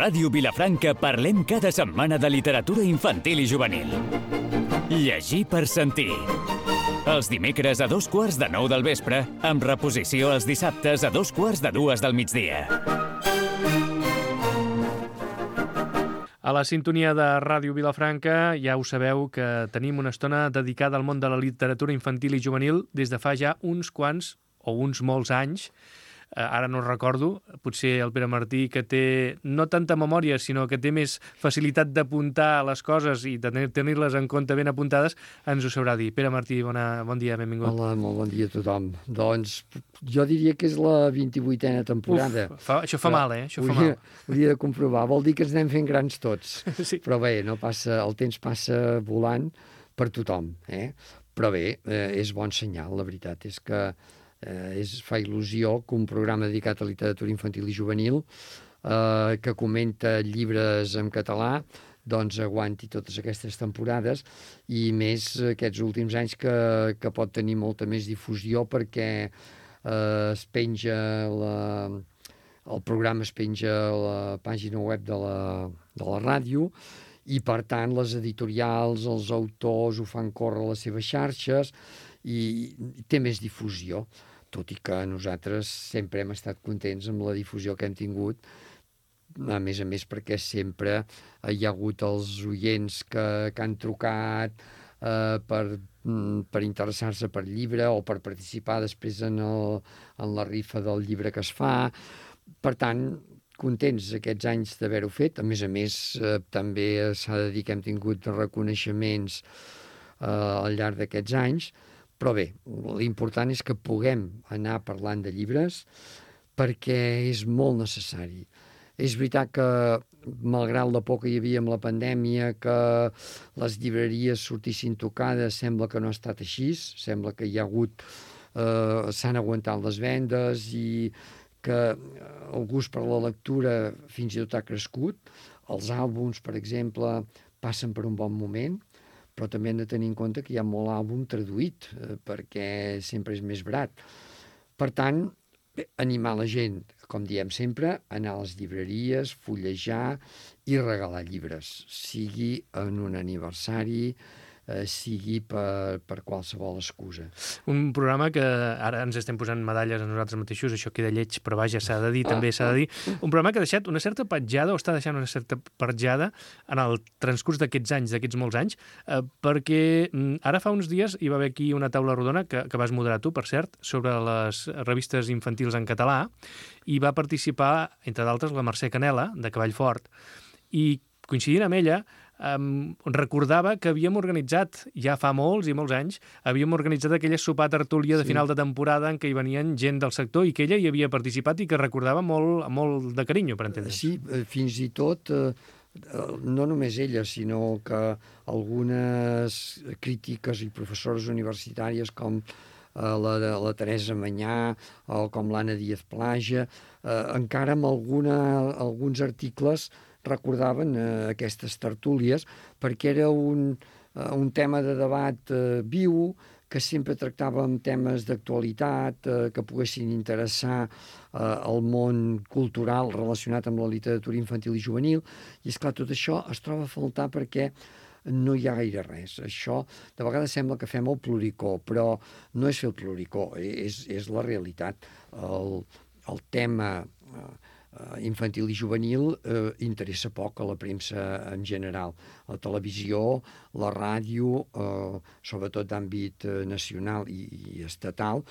Ràdio Vilafranca parlem cada setmana de literatura infantil i juvenil. Llegir per sentir. Els dimecres a 8:45 del vespre, amb reposició els dissabtes a 2:45 del migdia. A la sintonia de Ràdio Vilafranca ja ho sabeu que tenim una estona dedicada al món de la literatura infantil i juvenil des de fa ja uns quants o uns molts anys. Ara no recordo, potser el Pere Martí, que té no tanta memòria, sinó que té més facilitat d'apuntar les coses i de tenir-les en compte ben apuntades, ens ho sabrà dir. Pere Martí, bon dia, benvingut. Hola, molt bon dia a tothom. Doncs jo diria que és la 28a temporada. Això fa mal, Això fa mal. Hauria de comprovar. Vol dir que ens anem fent grans tots. Sí. Però bé, no passa, el temps passa volant per tothom. Però bé, és bon senyal, la veritat és que fa il·lusió que un programa dedicat a literatura infantil i juvenil que comenta llibres en català doncs aguanti totes aquestes temporades i més aquests últims anys que pot tenir molta més difusió perquè es penja el programa es penja a la pàgina web de la ràdio i per tant les editorials, els autors ho fan córrer a les seves xarxes i té més difusió, tot i que nosaltres sempre hem estat contents amb la difusió que hem tingut, a més perquè sempre hi ha hagut els oients que han trucat per interessar-se per llibre o per participar després en la rifa del llibre que es fa. Per tant, contents aquests anys d'haver-ho fet. A més, també s'ha de dir que hem tingut reconeixements al llarg d'aquests anys. Però bé, l'important és que puguem anar parlant de llibres perquè és molt necessari. És veritat que, malgrat la por que hi havia amb la pandèmia, que les llibreries sortissin tocades, sembla que no ha estat així, sembla que hi ha hagut, s'han aguantat les vendes i que el gust per la lectura fins i tot ha crescut. Els àlbums, per exemple, passen per un bon moment, però també hem de tenir en compte que hi ha molt àlbum traduït, perquè sempre és més barat. Per tant, animar la gent, com diem sempre, anar a les llibreries, fullejar i regalar llibres, sigui en un aniversari, sigui per qualsevol excusa. Un programa que ara ens estem posant medalles a nosaltres mateixos, això queda lleig, però vaja, s'ha de dir, també s'ha de dir. Un programa que ha deixat una certa petjada, o està deixant una certa petjada en el transcurs d'aquests anys, d'aquests molts anys, perquè ara fa uns dies hi va haver aquí una taula rodona que vas moderar tu, per cert, sobre les revistes infantils en català, i va participar, entre d'altres, la Mercè Canela, de Cavallfort, i coincidint amb ella, recordava que havíem organitzat, ja fa molts i molts anys, havíem organitzat aquella sopar tertúlia de final de temporada en què hi venien gent del sector i que ella hi havia participat i que recordava molt de carinyo, per entendre. Sí, fins i tot, no només ella, sinó que algunes crítiques i professores universitàries com la Teresa Manyà o com l'Anna Díaz Plaja, encara amb alguns articles recordaven aquestes tertúlies perquè era un tema de debat viu, que sempre tractàvem temes d'actualitat que poguessin interessar al món cultural relacionat amb la literatura infantil i juvenil, i esclar, tot això es troba a faltar perquè no hi ha gaire res. Això, de vegades sembla que fem el ploricó, però no és fer el ploricó, és la realitat. El tema infantil i juvenil interessa poc a la premsa en general. La televisió, la ràdio, sobretot d'àmbit nacional i estatal,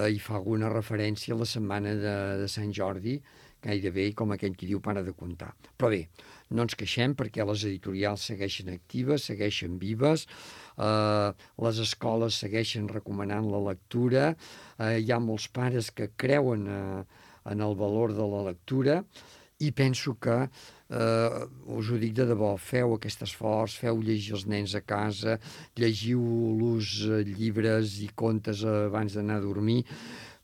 hi fa alguna referència a la setmana de Sant Jordi, gairebé com aquell qui diu para de comptar. Però bé, no ens queixem perquè les editorials segueixen actives, segueixen vives, les escoles segueixen recomanant la lectura, hi ha molts pares que creuen en el valor de la lectura i penso que, us ho dic de debò, feu aquest esforç, feu llegir els nens a casa, llegiu-los llibres i contes abans d'anar a dormir,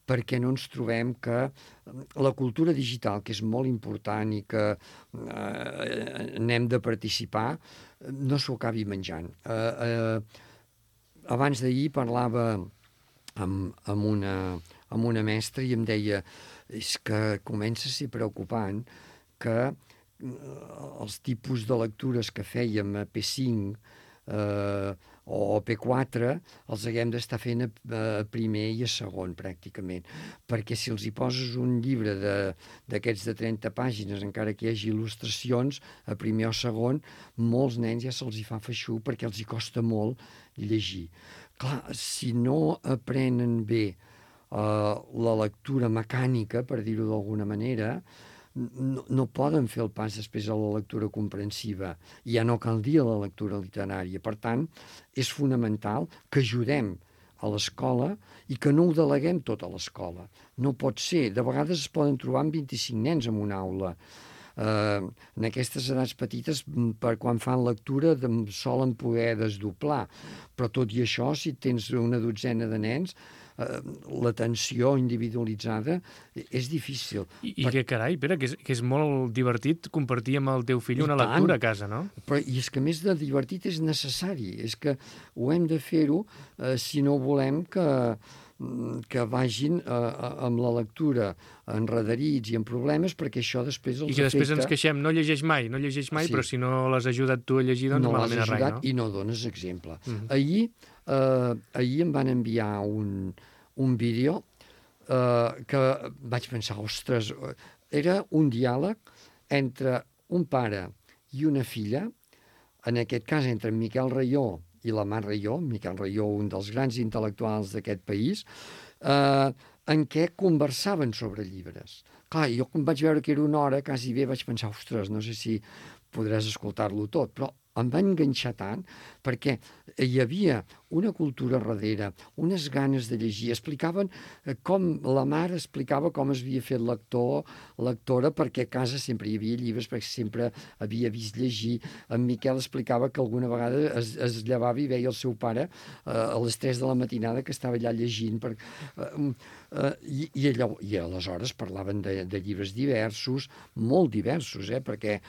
perquè no ens trobem que la cultura digital, que és molt important i que n'hem de participar, no s'ho acabi menjant. Abans d'ahir parlava amb una mestra i em deia és que comença a ser preocupant que els tipus de lectures que fèiem a P5 o P4 els haguem d'estar fent a primer i a segon, pràcticament. Perquè si els hi poses un llibre d'aquests de 30 pàgines, encara que hi hagi il·lustracions, a primer o segon, molts nens ja se'ls hi fa feixuc perquè els hi costa molt llegir. Clar, si no aprenen bé la lectura mecànica, per dir-ho d'alguna manera, no poden fer el pas després a la lectura comprensiva. Ja no cal dir la lectura literària. Per tant, és fonamental que ajudem a l'escola i que no ho deleguem tot a l'escola. No pot ser. De vegades es poden trobar amb 25 nens en una aula. En aquestes edats petites, quan fan lectura, solen poder desdoblar. Però tot i això, si tens una dotzena de nens, l'atenció individualitzada és difícil. I que carai, Pere, que és molt divertit compartir amb el teu fill una lectura a casa, no? Però, i és que més de divertit és necessari. És que ho hem de fer-ho si no volem que vagin amb la lectura enredarits i amb problemes, perquè això després els afecta. I que després ens queixem, no llegeix mai, sí. Però si no l'has ajudat tu a llegir, doncs no malament a res, no? I no dones exemple. Ahir em van enviar un vídeo que vaig pensar, ostres, era un diàleg entre un pare i una filla, en aquest cas entre en Miquel Raió i la Mar Raió, Miquel Raió, un dels grans intel·lectuals d'aquest país, en què conversaven sobre llibres. Clar, jo quan vaig veure que era una hora, quasi bé vaig pensar, ostres, no sé si podràs escoltar-lo tot, però em va enganxar tant perquè hi havia una cultura darrere, unes ganes de llegir. Explicaven com la mare explicava com es havia fet lectora, perquè a casa sempre hi havia llibres, perquè sempre havia vist llegir. En Miquel explicava que alguna vegada es llevava i veia el seu pare a les 3 de la matinada que estava allà llegint. I aleshores parlaven de llibres diversos, molt diversos, perquè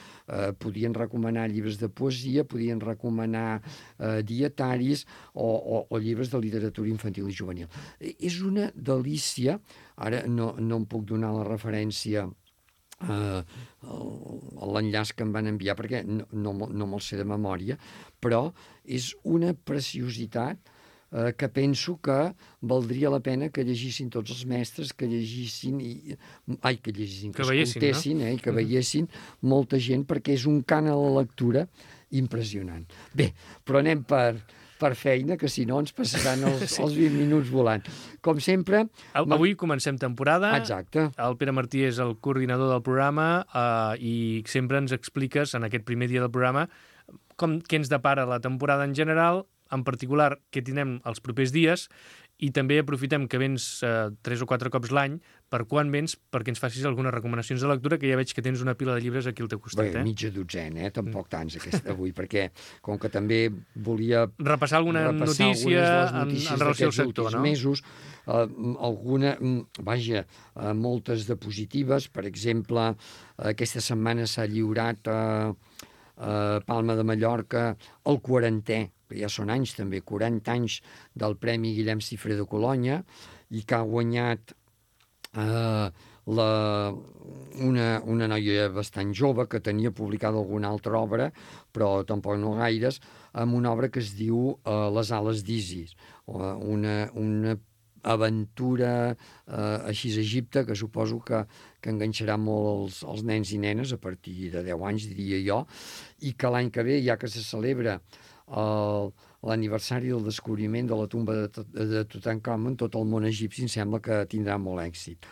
podien recomanar llibres de poesia, podien recomanar dietaris o llibres de literatura infantil i juvenil. És una delícia. Ara no em puc donar la referència l'enllaç que em van enviar perquè no me'l sé de memòria, però és una preciositat que penso que valdria la pena que llegissin tots els mestres, que escoltessin, i que veiessin molta gent, perquè és un cant a la lectura impressionant. Bé, però anem per feina, que si no ens passaran els 20 minuts volant. Com sempre... Avui comencem temporada. Exacte. El Pere Martí és el coordinador del programa i sempre ens expliques, en aquest primer dia del programa, què ens depara la temporada en general, en particular què tindrem els propers dies, i també aprofitem que vens 3 o 4 cops l'any, per quan vens, perquè ens facis algunes recomanacions de lectura, que ja veig que tens una pila de llibres aquí al teu costat. Bé, mitja dotzena, tampoc tants avui, perquè com que també volia repassar alguna notícia en relació al sector, no? Mesos, moltes de positives. Per exemple, aquesta setmana s'ha lliurat a Palma de Mallorca el 40è, que ja són anys també, 40 anys del Premi Guillem Cifré de Colònia, i que ha guanyat una noia bastant jove que tenia publicada alguna altra obra, però tampoc no gaires, amb una obra que es diu Les ales d'Isis, una aventura així a Egipte, que suposo que enganxarà molt els nens i nenes a partir de 10 anys, diria jo, i que l'any que ve, ja que se celebra l'aniversari del descobriment de la tomba de Tutankamon, tot el món egipci em sembla que tindrà molt èxit.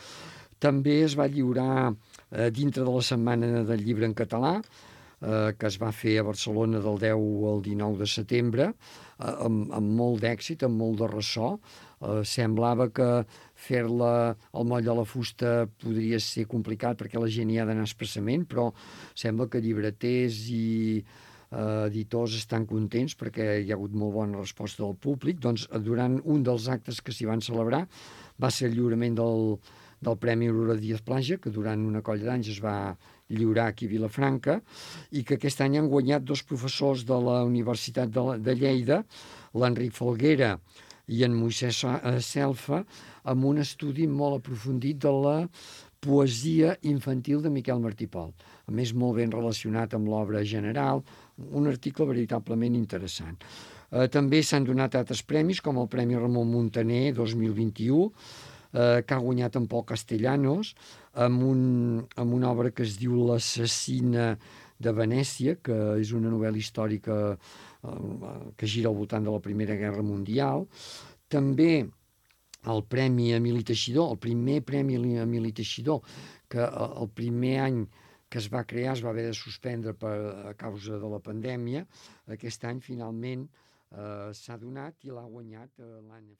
També es va lliurar dintre de la Setmana del Llibre en Català, que es va fer a Barcelona del 10 al 19 de setembre, amb molt d'èxit, amb molt de ressò. Semblava que fer-la al moll de la fusta podria ser complicat perquè la gent hi ha d'anar expressament, però sembla que llibreters i editors estan contents perquè hi ha hagut molt bona resposta del públic. Doncs durant un dels actes que s'hi van celebrar va ser el lliurament del Premi Aurora Díaz Plaja, que durant una colla d'anys es va lliurar aquí a Vilafranca, i que aquest any han guanyat 2 professors de la Universitat de Lleida, l'Enric Falguera i en Moisès Selfa, amb un estudi molt aprofundit de la Poesia infantil de Miquel Martí Pol. A més, molt ben relacionat amb l'obra general, un article veritablement interessant. També s'han donat altres premis, com el Premi Ramon Muntaner 2021, que ha guanyat en Pol Castellanos, amb una obra que es diu L'assassina de Venècia, que és una novel·la històrica que gira al voltant de la Primera Guerra Mundial. També el Premi Emili Teixidor, el primer Premi Emili Teixidor, que el primer any que es va crear es va haver de suspendre a causa de la pandèmia. Aquest any finalment s'ha donat i l'ha guanyat l'Anna.